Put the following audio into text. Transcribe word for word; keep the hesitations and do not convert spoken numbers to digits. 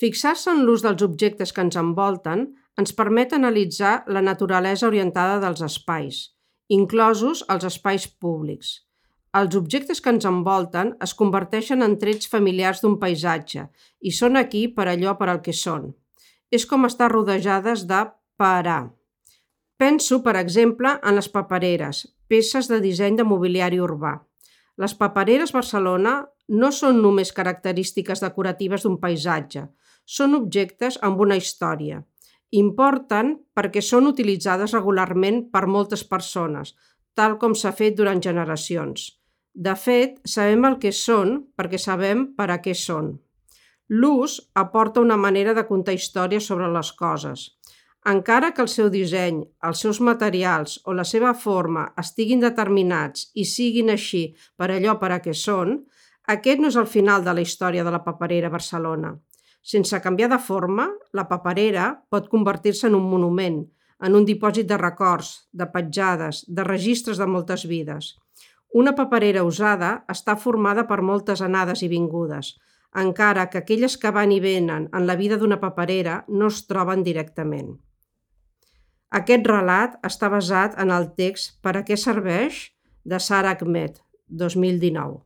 Fixar-se en l'ús dels objectes que ens envolten ens permet analitzar la naturalesa orientada dels espais, inclosos els espais públics. Els objectes que ens envolten es converteixen en trets familiars d'un paisatge i són aquí per allò per al que són. És com estar rodejades de parar. Penso, per exemple, en les papereres, peces de disseny de mobiliari urbà. Les papereres Barcelona no són només característiques decoratives d'un paisatge, són objectes amb una història. Importen perquè són utilitzades regularment per moltes persones, tal com s'ha fet durant generacions. De fet, sabem el que són perquè sabem per a què són. L'ús aporta una manera de contar històries sobre les coses. Encara que el seu disseny, els seus materials o la seva forma estiguin determinats i siguin així per allò per a què són, aquest no és el final de la història de la paperera Barcelona. Sense canviar de forma, la paperera pot convertir-se en un monument, en un dipòsit de records, de petjades, de registres de moltes vides. Una paperera usada està formada per moltes anades i vingudes, encara que aquelles que van i venen en la vida d'una paperera no es troben directament. Aquest relat està basat en el text Per a què serveix? De Sara Ahmed, dos mil dinou.